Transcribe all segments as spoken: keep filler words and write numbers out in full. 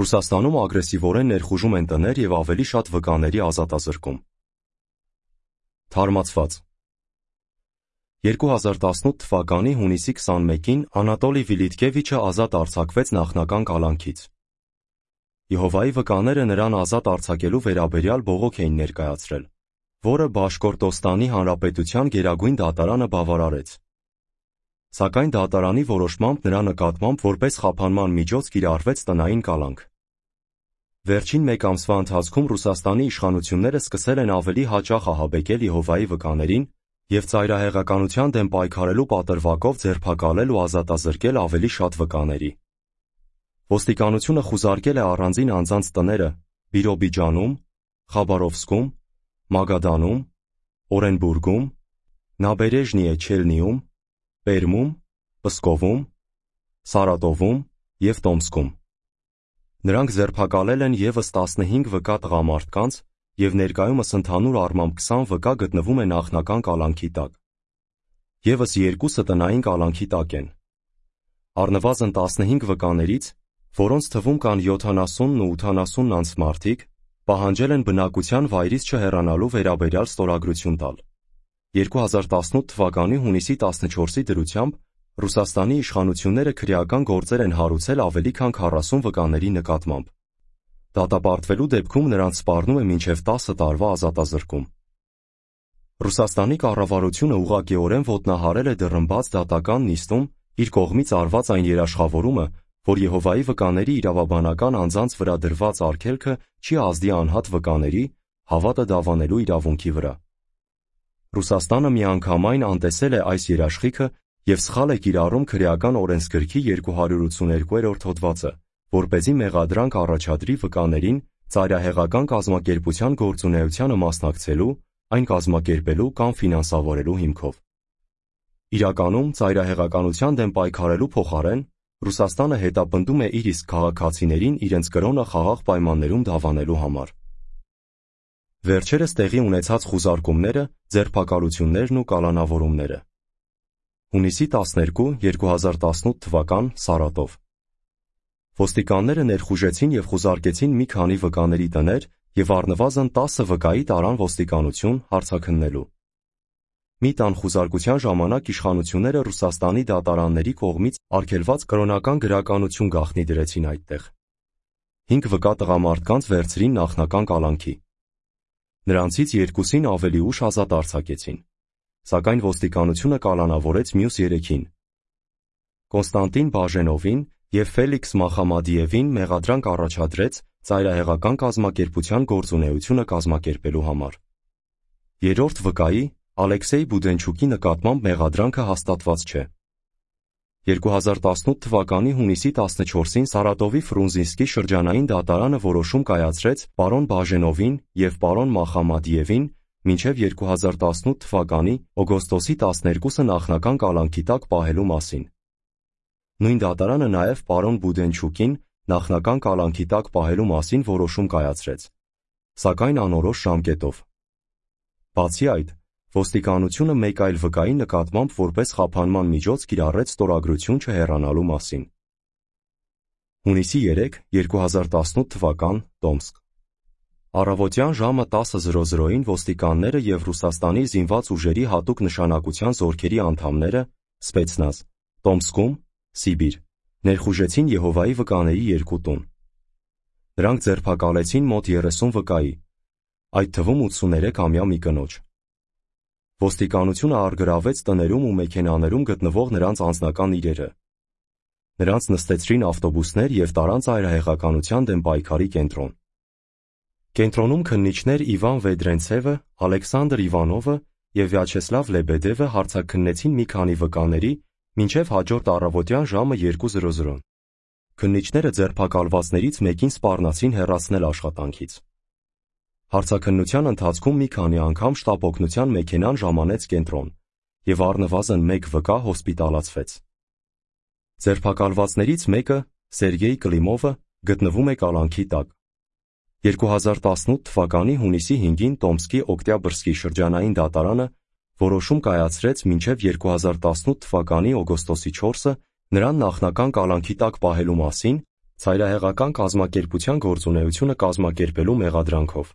Ռուսաստանում ագրեսիվորեն ներխուժում են տներ և ավելի շատ վկաների ազատազրկում։ Թարմացված երկու հազար տասնութ թվականի հունիսի քսանմեկին Անատոլի Վիլիթկևիչը ազատ արձակվեց նախնական կալանքից։ Եհովայի վկաները նրան ազատ արձակելու վերաբերյալ բողոք էին ներկայացրել, որը Բաշկորտոստանի Հանրապետության գերագույն դատարանը բավարարեց։ Սակայն դատարանի որոշմամբ նրա նկատմամբ որպես խափանման միջոց կիրառվեց տնային կալանք։ Վերջին մեկ ամսվա ընթացքում Ռուսաստանի իշխանությունները սկսել են ավելի հաճախ ահաբեկել Եհովայի վկաներին և ծայրահեղականության դեմ պայքարելու պատրվակով ձերբակալել ու ազատազրկել ավելի շատ վկաների։ Ոստիկանությունը խուզարկել է առանձին անձանց տները Բիրոբիջանում, Խաբարովսկում, Մագադանում, Օրենբուրգում, Նաբերեժնիե Չելնիում, Պերմում, Պսկովում, Սարատովում և Տոմսկում։ Նրանք ձերբակալել են ևս տասնհինգ վկա տղամարդկանց և ներկայումս ընդհանուր առմամբ քսան վկա գտնվում է նախնական կալանքի տակ։ ԵՒս երկուսը տնային կալանքի տակ են։ Առնվազն տասնհինգ վկաներից, որոնց թվում կան յոթանասունն ու ութանասունն անց մարդիկ, պահանջել են բնակության վայրից չհեռանալու վերաբերյալ ստորագրություն տալ։ երկու հազար տասնութ թվականի հունիսի տասնչորսի դրությամբ Ռուսաստանի իշխանությունները քրեական գործեր են հարուցել ավելի քան քառասուն վկաների նկատմամբ։ Դատապարտվելու դեպքում նրանց սպառնում է մինչև տասը տարվա ազատազրկում։ Ռուսաստանի կառավարությունը ուղղակիորեն ոտնահարել է դռնբաց դատական նիստում իր կողմից արված այն երաշխավորումը, որ Եհովայի վկաների իրավաբանական անձանց վրա դրված արգելքը չի ազդի անհատ վկաների հավատը դավանելու իրավունքի վրա։ Ռուսաստանը միանգամայն անտեսել է այս երաշխիքը և սխալ է կիրառում քրեական օրենսգրքի երկու հարյուր ութսուներկուերորդ հոդվածը, որպեսզի մեղադրանք առաջադրի վկաներին ծայրահեղական կազմակերպության գործունեությանը մասնակցելու, այն կազմակերպելու կամ ֆինանսավորելու հիմքով։ Իրականում, ծայրահեղականության դեմ պայքարելու փոխարեն, Ռուսաստանը հետապնդում է իր իսկ քաղաքացիներին իրենց կրոնը խաղաղ պայմաններում դավանելու համար։ Վերջերս տեղի ունեցած խուզարկումները, ձերբակալություններն ու կալանավորումները։ Հունիսի տասներկու, երկու հազար տասնութ թվական, Սարատով։ Ոստիկանները ներխուժեցին և խուզարկեցին մի քանի վկաների տներ և առնվազն տասը վկայի տարան ոստիկանություն հարցաքննելու։ Մի տան խուզարկության ժամանակ իշխանությունները Ռուսաստանի դատարանների կողմից արգելված կրոնական գրականություն գաղտնի դրեցին այդտեղ։ Հինգ վկա տղամարդկանց վերցրին նախնական կալանքի։ Նրանցից երկուսին ավելի ուշ ազատ արձակեցին, սակայն ոստիկանությունը կալանավորեց մյուս երեքին։ Կոնստանտին Բաժենովին և Ֆելիքս Մախամադիևին մեղադրանք առաջադրեց ծայրահեղական կազմակերպության գործունեությունը կազմակերպելու համար։ Երրորդ վկայի Ալեքսեյ Բուդենչուկի նկատմամբ մեղադրանքը հաստատված չէ։ երկու հազար տասնութ թվականի հունիսի տասնչորսին Սարատովի Ֆրունզինսկի շրջանային դատարանը որոշում կայացրեց պարոն Բաժենովին և պարոն Մախամադիևին մինչև երկու հազար տասնութ թվականի օգոստոսի տասներկուսը նախնական կալանքի տակ պահելու մասին։ Նույն դատարանը նաև պարոն Բուդենչուկին նախնական կալանքի տակ պահելու մասին որոշում կայացրեց, սակայն անորոշ ժամկետով։ Բացի այդ, ոստիկանությունը մեկ այլ վկայի նկատմամբ որպես խափանման միջոց կիրառեց ստորագրություն չհեռանալու մասին։ Հունիսի երեքը, երկու հազար տասնութ թվական, Տոմսկ։ Առավոտյան ժամը տասը ոստիկանները և Ռուսաստանի զինված ուժերի հատուկ նշանակության զորքերի անդամները, Սպեցնազ, Տոմսկում, Սիբիր, ներխուժեցին Եհովայի վկաների երկու տուն։ Նրանք ձերբակալեցին մոտ երեսուն վկայի, այդ թվում ութսուներեքամյա մի կնոջ։ Ոստիկանությունը առգրավեց տներում ու մեքենաներում գտնվող նրանց անձնական իրերը։ Նրանց նստեցրին ավտոբուսներ և տարան ծայրահեղականության դեմ պայքարի կենտրոն։ Կենտրոնում քննիչներ Իվան Վեդրենցևը, Ալեքսանդր Իվանովը և Վյաչեսլավ Լեբեդևը հարցաքննեցին մի քանի վկաների մինչև հաջորդ առավոտյան ժամը երկու։ Քննիչները ձերբակալվածներից մեկին սպառնացին հեռացնել աշխատանքից։ Հարցաքննության ընթացքում մի քանի անգամ շտապ օգնության մեքենան ժամանեց կենտրոն, և առնվազն մեկ վկա հոսպիտալացվեց։ Ձերբակալվածներից մեկը, Սերգեյ Կլիմովը, գտնվում է կալանքի տակ։ երկու հազար տասնութ թվականի հունիսի հինգին Տոմսկի Օկտյաբրսկի շրջանային դատարանը որոշում կայացրեց մինչև երկու հազար տասնութ թվականի օգոստոսի չորսը նրան նախնական կալանքի տակ պահելու մասին Ծայրահեղական կազմակերպության գործունեությունը կազմակերպելու մեղադրանքով։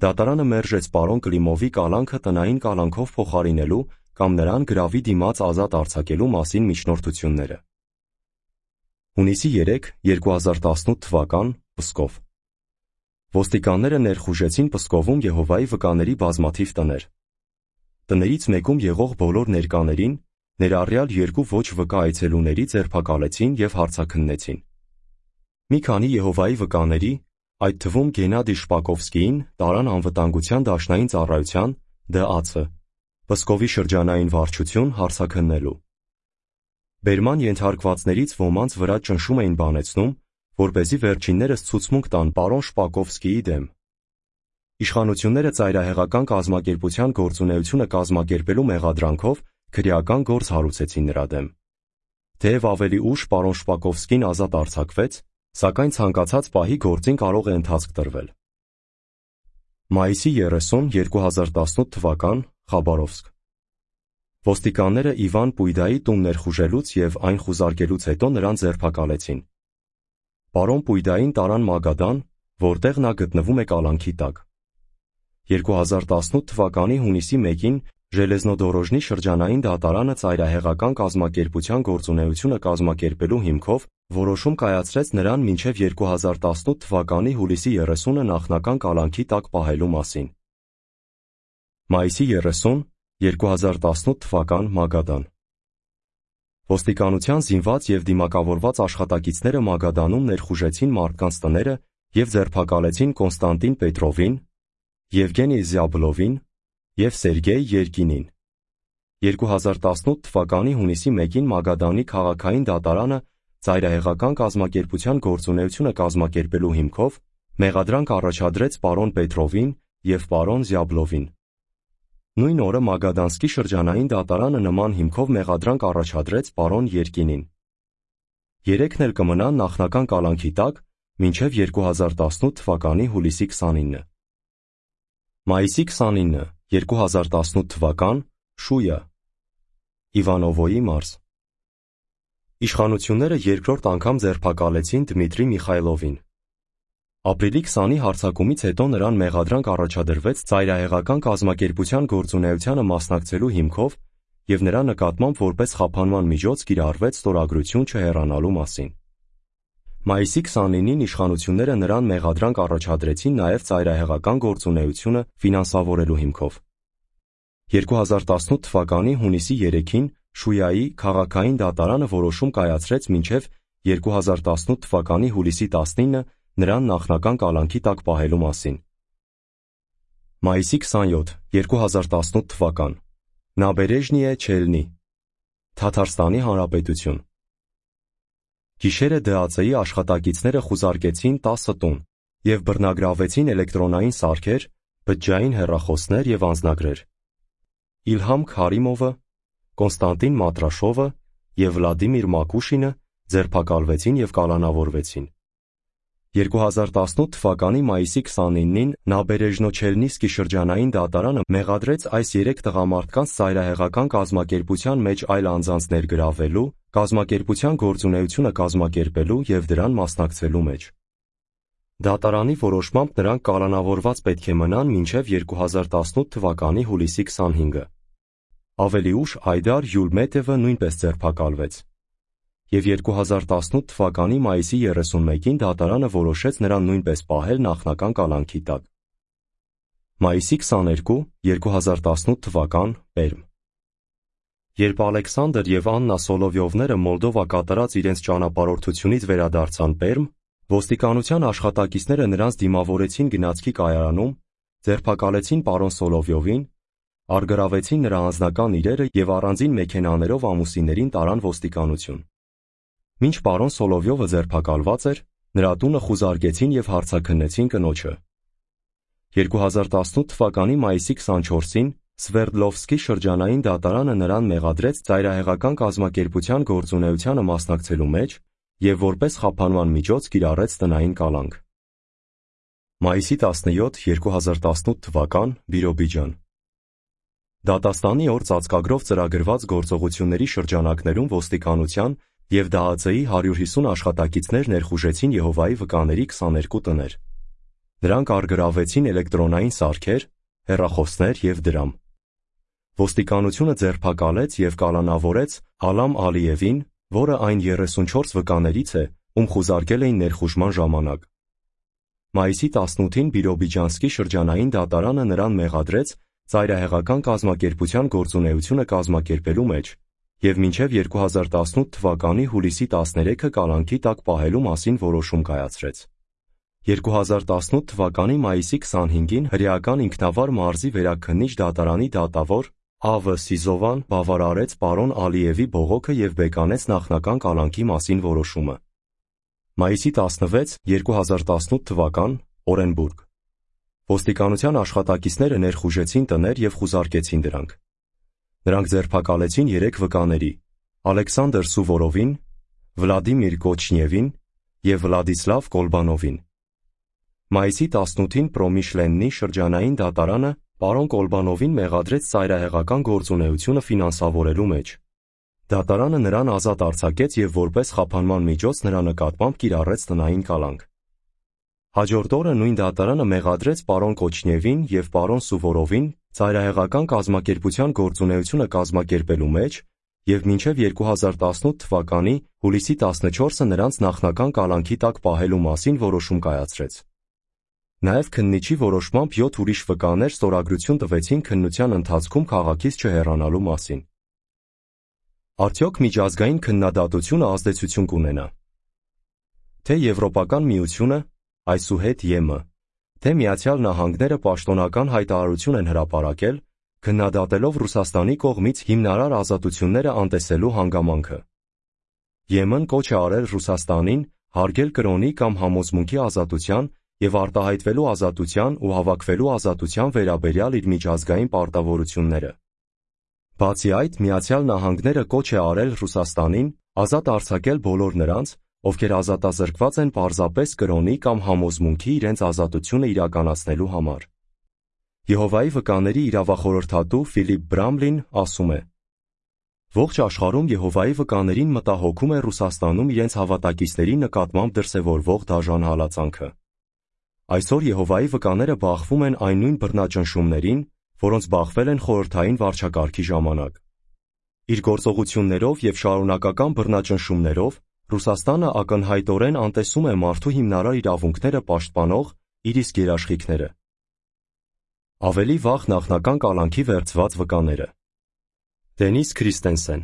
Դատարանը մերժեց պարոն Կլիմովի կալանքը տնային կալանքով փոխարինելու կամ նրան գրավի դիմաց ազատ արձակելու մասին միջնորդությունները։ Հունիսի երեքը, երկու հազար տասնութ թվական, Պսկով։ Ոստիկանները ներխուժեցին Պսկովում Եհովայի վկաների բազմաթիվ տներ։ Տներից մեկում եղող բոլոր ներկաներին, ներառյալ երկու ոչ վկա այցելուների ձերբակալեցին և հարձաքննեցին։ Մի քանի Եհովայի վկաների, այդ թվում Գենադի Շպակովսկիին, տարան անվտանգության դաշնային ծառայության դե ա ցը Պսկովի շրջանային վարչություն հարձաքննելու։ Բերման ենթարկվածներից ոմանց վրա ճնշում էին բանեցնում, որպեսզի վերջիններս ցուցմունք տան պարոն Շպակովսկիի դեմ։ Իշխանությունները ծայրահեղական կազմակերպության գործունեությունը կազմակերպելու մեղադրանքով քրեական գործ հարուցեցին նրա դեմ։ Թեև ավելի ուշ պարոն Շպակովսկին ազատ արձակվեց, սակայն ցանկացած պահի գործին կարող է ընթացք տրվել։ Մայիսի երեսուն, երկու հազար տասնութ թվական, Խաբարովսկ։ Ոստիկանները Իվան Պույդայի տուն ներխուժելուց և այն խուզարկելուց հետո նրան ձերբակալեցին։ Պարոն Պույդային տարան Մագադան, որտեղ նա գտնվում է կալանքի տակ։ երկու հազար տասնութ թվականի հունիսի մեկին Ժելեզնոդորոժնի շրջանային դատարանը ծայրահեղական կազմակերպության գործունեությունը կազմակերպելու հիմքով որոշում կայացրեց նրան մինչև երկու հազար տասնութ թվականի հուլիսի երեսունը նախնական կալանքի տակ պահելու մասին։ Մայիսի երեսուն, երկու հազար տասնութ թվական, Մագադան։ Ոստիկանության զինված և դիմակավորված աշխատակիցները Մագադանում ներխուժեցին մարդկանց տները և ձերբակալեցին Կոնստանտին Պետրովին, Եվգենի Զյաբլովին և Սերգեյ Երկինին։ երկու հազար տասնութ թվականի հունիսի մեկին Մագադանի քաղաքային դատարանը ծայրահեղական կազմակերպության գործունեությունը կազմակերպելու հիմքով մեղադրանք առաջադրեց պարոն Պետրովին և պարոն Զյաբլովին։ Նույն օրը Մագադանսկի շրջանային դատարանը նման հիմքով մեղադրանք առաջադրեց պարոն Երկինին։ Երեքն էլ կմնան նախնական կալանքի տակ մինչև երկու հազար տասնութ թվականի հուլիսի քսանինը։ Մայիսի քսանինը, երկու հազար տասնութ թվական, Շույա, Իվանովոյի մարզ։ Իշխանությունները երկրորդ անգամ ձերբակալեցին Դմիտրի Միխայլովին։ Ապրիլի քսանի հարձակումից հետո նրան մեղադրանք առաջադրվեց ծայրահեղական կազմակերպության գործունեությանը մասնակցելու հիմքով և նրա նկատմամբ որպես խափանման միջոց կիրառվեց ստորագրություն չհեռանալու մասին։ Մայիսի քսանինին իշխանությունները նրան մեղադրանք առաջադրեցին նաև ծայրահեղական գործունեությունը ֆինանսավորելու հիմքով։ երկու հազար տասնութ թվականի հունիսի երեքին Շույայի քաղաքային դատարանը որոշում կայացրեց մինչև երկու հազար տասնութ թվականի հուլիսի տասնինը նրան նախնական կալանքի տակ պահելու մասին։ Մայիսի քսանյոթ, երկու հազար տասնութ թվական, Նաբերեժնիե Չելնի, Թաթարստանի Հանրապետություն։ Գիշերը դե ա ցեի աշխատակիցները խուզարկեցին տասը տուն և բռնագրավեցին էլեկտրոնային սարքեր, բջջային հեռախոսներ և անձնագրեր։ Իլհամ Քարիմովը, Կոնստանտին Մատրաշովը և Վլադիմիր Մակուշինը ձերբակալվեցին և կալանավորվեցին։ երկու հազար տասնութ թվականի մայիսի քսանինին Նաբերեժնո-Չելնիսկի շրջանային դատարանը մեղադրեց այս երեք տղամարդկանց ծայրահեղական կազմակերպության մեջ այլ անձանց ներգրավելու, կազմակերպության գործունեությունը կազմակերպելու և դրան մասնակցելու մեջ։ Դատարանի որոշմամբ նրանք կալանավորված պետք է մնան մինչև երկու հազար տասնութ թվականի հուլիսի քսանհինգը։ Ավելի ուշ Այդար Յուլմետևը նույնպես ձերբակալվեց։ Եվ երկու հազար տասնութ թվականի մայիսի երեսունմեկին դատարանը որոշեց նրան նույնպես պահել նախնական կալանքի տակ։ Մայիսի քսաներկու, երկու հազար տասնութ թվական, Պերմ։ Երբ Ալեքսանդր և Աննա Սոլովյովները Մոլդովա կատարած իրենց ճանապարհորդությունից վերադարձան Պերմ, ոստիկանության աշխատակիցները նրանց դիմավորեցին գնացքի կայարանում, ձերբակալեցին պարոն Սոլովյովին, առգրավեցին նրա անձնական իրերը և առանձին մեքենաներով ամուսիններին տարան ոստիկանություն։ Մինչ պարոն Սոլովյովը ձերբակալված էր, նրա տունը խուզարկեցին և հարձաքննեցին կնոջը։ երկու հազար տասնութ թվականի մայիսի քսանչորսին Սվերդլովսկի շրջանային դատարանը նրան մեղադրեց ծայրահեղական կազմակերպության գործունեությանը մասնակցելու մեջ և որպես խափանման միջոց կիրառեց տնային կալանք։ Մայիսի տասնյոթ, երկու հազար տասնութ թվական, Բիրոբիջան։ Դատաստանի օր ծածկագրով ծրագրված գործողությունների շրջանակներում ոստիկանության և Դա Ա Ց-ի հարյուր հիսուն աշխատակիցներ ներխուժեցին Եհովայի վկաների քսաներկու տներ։ Նրանք առգրավեցին էլեկտրոնային սարքեր, հեռախոսներ և դրամ։ Ոստիկանությունը ձերբակալեց և կալանավորեց Ալամ Ալիևին, որը այն երեսունչորս վկաներից է, ում խուզարկել էին ներխուժման ժամանակ։ Մայիսի տասնութին Բիրոբիջանսկի շրջանային դատարանը նրան մեղադրեց ծայրահեղական կազմակերպության գործունեությունը կազմակերպելու մեջ և մինչև երկու հազար տասնութ թվականի հուլիսի տասներեքը կալանքի տակ պահելու մասին որոշում կայացրեց։ երկու հազար տասնութ թվականի մայիսի քսանհինգին հրեական ինքնավար մարզի վերաքննիչ դատարանի դատավոր Ա Վը Սիզովան բավարարեց պարոն Ալիևի բողոքը և բեկանեց նախնական կալանքի մասին որոշումը։ Մայիսի տասնվեց, երկու հազար տասնութ թվական, Օրենբուրգ։ Ոստիկանության աշխատակիցները ներխուժեցին տներ և խուզարկեցին դրանք։ Նրանք ձերբակալեցին երեք վկաների՝ Ալեքսանդր Սուվորովին, Վլադիմիր Կոչնիևին և Վլադիսլավ Կոլբանովին։ Մայիսի տասնութին Պրոմիշլեննի շրջանային դատարանը պարոն Կոլբանովին մեղադրեց ծայրահեղական գործունեությունը ֆինանսավորելու մեջ։ Դատարանը նրան ազատ արձակեց և որպես խափանման միջոց նրա նկատմամբ կիրառեց տնային կալանք։ Հաջորդ օրը նույն դատարանը մեղադրեց պարոն Կոչնիևին և պարոն Սուվորովին ծայրահեղական կազմակերպության գործունեությունը կազմակերպելու մեջ և մինչև երկու հազար տասնութ թվականի հուլիսի տասնչորսը նրանց նախնական կալանքի տակ պահելու մասին որոշում կայացրեց։ Նաև քննիչի որոշմամբ յոթ ուրիշ վկաներ ստորագրություն տվեցին քննության ընթացքում քաղաքից չհեռանալու մասին։ Արդյոք միջազգային քննադատությունը ազդեցություն կունենա։ Թե Եվրոպական միությունը, այսուհետ Ե M, թե Միացյալ Նահանգները պաշտոնական հայտարարություն են հրապարակել, քննադատելով Ռուսաստանի կողմից հիմնարար ազատությունները անտեսելու հանգամանքը։ Ե M-ն կոչ է արել Ռուսաստանին հարգել կրոնի կամ համոզմունքի ազատության և արտահայտվելու ազատության ու հավաքվելու ազատության վերաբերյալ իր միջազգային պարտավորությունները։ Բացի այդ, Միացյալ Նահանգները կոչ է արել Ռուսաստանին ազատ արձակել բոլոր նրանց, ովքեր ազատազրկված են պարզապես կրոնի կամ համոզմունքի իրենց ազատությունը իրականացնելու համար։ Եհովայի վկաների իրավախորհրդատու Ֆիլիպ Բրամլին ասում է. Ողջ աշխարհում Եհովայի վկաներին մտահոգում է Ռուսաստանում իրենց հավատակիցների նկատմամբ դրսևորվող դաժան հալածանքը։ Այսօր Եհովայի վկաները բախվում են այն նույն բռնաճնշումներին, որոնց բախվել են խորհրդային վարչակարգի ժամանակ։ Իր գործողություններով և շարունակական բռնաճնշումներով Ռուսաստանը ակնհայտորեն անտեսում է մարդու հիմնարար իրավունքները պաշտպանող իր իսկ երաշխիքները։ Ավելի վաղ նախնական կալանքի վերցված վկաները։ Դենիս Քրիստենսեն,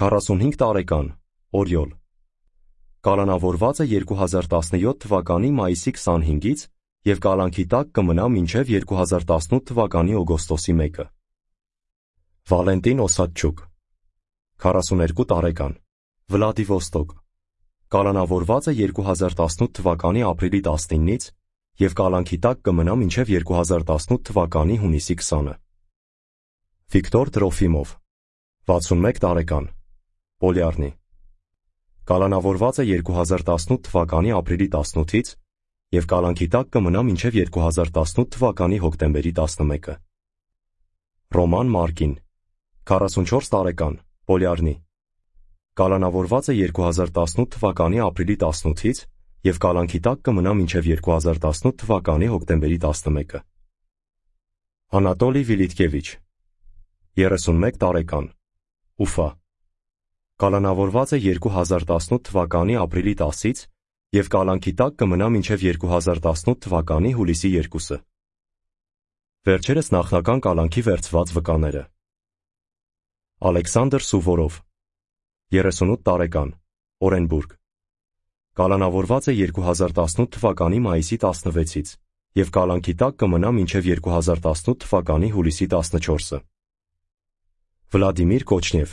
քառասունհինգ տարեկան, Օրիոլ։ Կալանավորված է երկու հազար տասնյոթ թվականի մայիսի քսանհինգից և կալանքի տակ կմնա մինչև երկու հազար տասնութ թվականի օգոստոսի մեկը։ Վալենտին Օսադչուկ, քառասուներկու տարեկան, Վլադիվոստոկ։ Կալանավորված է երկու հազար տասնութ թվականի ապրիլի տասնինից և կալանքի տակ կմնա մինչև երկու հազար տասնութ թվականի հունիսի քսանը։ Վիկտոր Տրոֆիմով, վաթսունմեկ տարեկան, Պոլյարնի։ Կալանավորված է երկու հազար տասնութ թվականի ապրիլի տասնութից և կալանքի տակ կմնա մինչև երկու հազար տասնութ թվականի հոկտեմբերի տասնմեկը։ Ռոման Մարկին, քառասունչորս տարեկան, Պոլյարնի։ Կալանավորված է երկու հազար տասնութ թվականի ապրիլի տասնութից և կալանքի տակ կմնա մինչև երկու հազար տասնութ թվականի հոկտեմբերի տասնմեկը։ Անատոլի Վիլիտկևիչ, երեսունմեկ տարեկան, Ուֆա։ Կալանավորված է երկու հազար տասնութ թվականի ապրիլի տասից և կալանքի տակ կմնա մինչև երկու հազար տասնութ թվականի հուլիսի երկուսը։ Վերջերս նախնական կալանքի վերցված վկաները։ Ալեքսանդր Սուվորով, երեսունութ տարեկան, Օրենբուրգ։ Կալանավորված է երկու հազար տասնութ թվականի մայիսի տասնվեցից և կալանքի տակ կմնա մինչև երկու հազար տասնութ թվականի հուլիսի տասնչորսը։ Վլադիմիր Կոչնիև,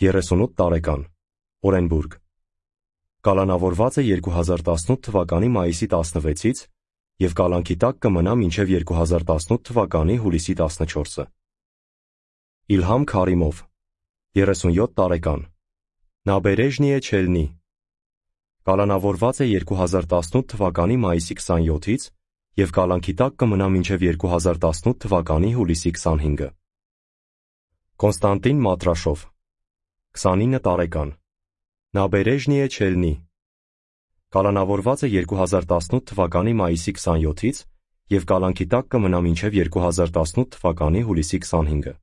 երեսունութ տարեկան, Օրենբուրգ։ Կալանավորված է երկու հազար տասնութ թվականի մայիսի տասնվեցից և կալանքի տակ կմնա մինչև երկու հազար տասնութ թվականի հուլիսի տասնչորսը։ Իլհամ Քարիմով, երեսունյոթ տարեկան, Նաբերեժնիե Չելնի։ Կալանավորված է երկու հազար տասնութ թվականի մայիսի քսանյոթից և կալանքի տակ կմնա մինչև երկու հազար տասնութ թվականի հուլիսի քսանհինգը։ Կոնստանտին Մատրաշով, քսանինը տարեկան, Նաբերեժնիե Չելնի կալանավորված է երկու հազար տասնութ թվականի մայիսի քսանյոթից և կալանքի տակ կմնա մինչև երկու հազար տասնութ թվականի հուլիսի քսանհինգը։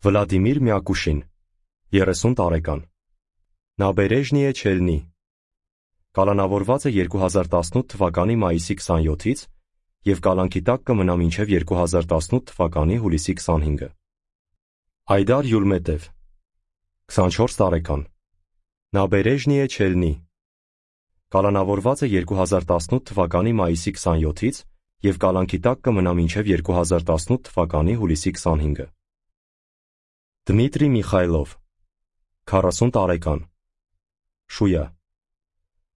Վլադիմիր Մյակուշին, երեսուն տարեկան։ Նաբերեժնիե Չելնի կալանավորված է երկու հազար տասնութ թվականի մայիսի քսանյոթից և կալանքի տակ կմնա մինչև երկու հազար տասնութ թվականի հուլիսի քսանհինգը։ Այդար Յուլմետև, քսանչորս տարեկան։ Նաբերեժնիե Չելնի կալանավորված է երկու հազար տասնութ թվականի մայիսի քսանյոթից և կալանքի տակ կմնա մինչև երկու հազար տասնութ թվականի հուլիսի քսանհինգը։ Դմիտրի Միխայլով, քառասուն տարեկան։ Շույա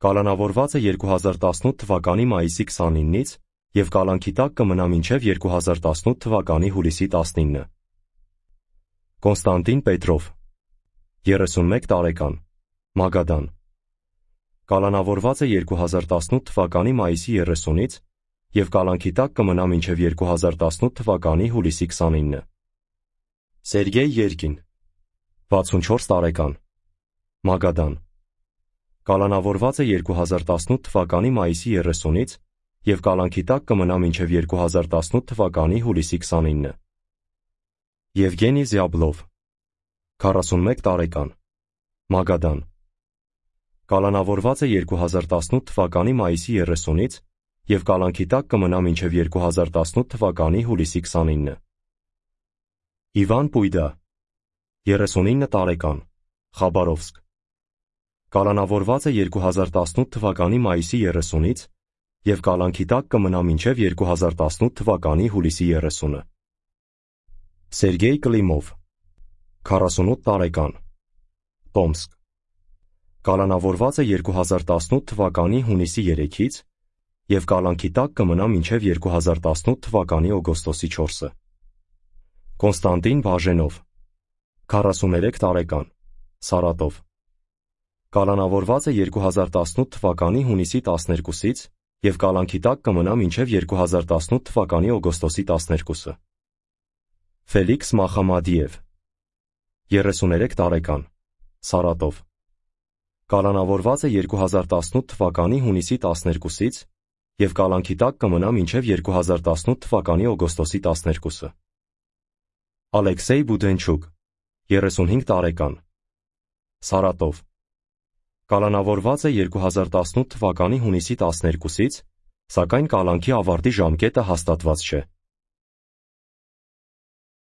կալանավորված է երկու հազար տասնութ թվականի մայիսի քսանինից և կալանքի տակ կմնա մինչև երկու հազար տասնութ թվականի հուլիսի տասնինը։ Կոնստանտին Պետրով, երեսունմեկ տարեկան, Մագադան կալանավորված է երկու հազար տասնութ թվականի մայիսի երեսունից և կալանքի տակ կմնա մինչև երկու հազար տասնութ թվականի հուլիսի քսանինը։ Սերգեյ Երկին, վաթսունչորս տարեկան, Մագադան կալանավորված է երկու հազար տասնութ թվականի մայիսի երեսունից և կալանքի տակ կմնա մինչև երկու հազար տասնութ թվականի հուլիսի քսանինը։ Եվգենի Զյաբլով, քառասունմեկ տարեկան, Մագադան կալանավորված է երկու հազար տասնութ թվականի մայիսի երեսունից և կալանքի տակ կմնա մինչև երկու հազար տասնութ թվականի հուլիսի քսանինը։ Իվան Պույդա, երեսունինը տարեկան, Խաբարովսկ կալանավորված է երկու հազար տասնութ թվականի մայիսի երեսունից և կալանքի տակ կմնա մինչև երկու հազար տասնութ թվականի հուլիսի երեսունը։ Սերգեյ Կլիմով, քառասունութ տարեկան, Տոմսկ կալանավորված է երկու հազար տասնութ թվականի հունիսի երեքից և կալանքի տակ կմնա մինչև երկու հազար տասնութ թվականի օգոստոսի չորսը։ Կոնստանտին Բաժենով, քառասուներեք տարեկան, Սարատով կալանավորված է երկու հազար տասնութ թվականի հունիսի տասներկուսից և կալանքի տակ կմնա մինչև երկու հազար տասնութ թվականի օգոստոսի տասներկուսը։ Ֆելիքս Մախամադիև, երեսուներեք տարեկան, Սարատով կալանավորված է երկու հազար տասնութ թվականի հունիսի տասներկուսից և կալանքի տակ կմնա մինչև երկու հազար տասնութ թվականի օգոստոսի տասներկուսը։ Ալեքսեյ Բուդենչուկ, երեսունհինգ տարեկան, Սարատով կալանավորված է երկու հազար տասնութ թվականի հունիսի տասներկուսից, սակայն կալանքի ավարտի ժամկետը հաստատված չէ։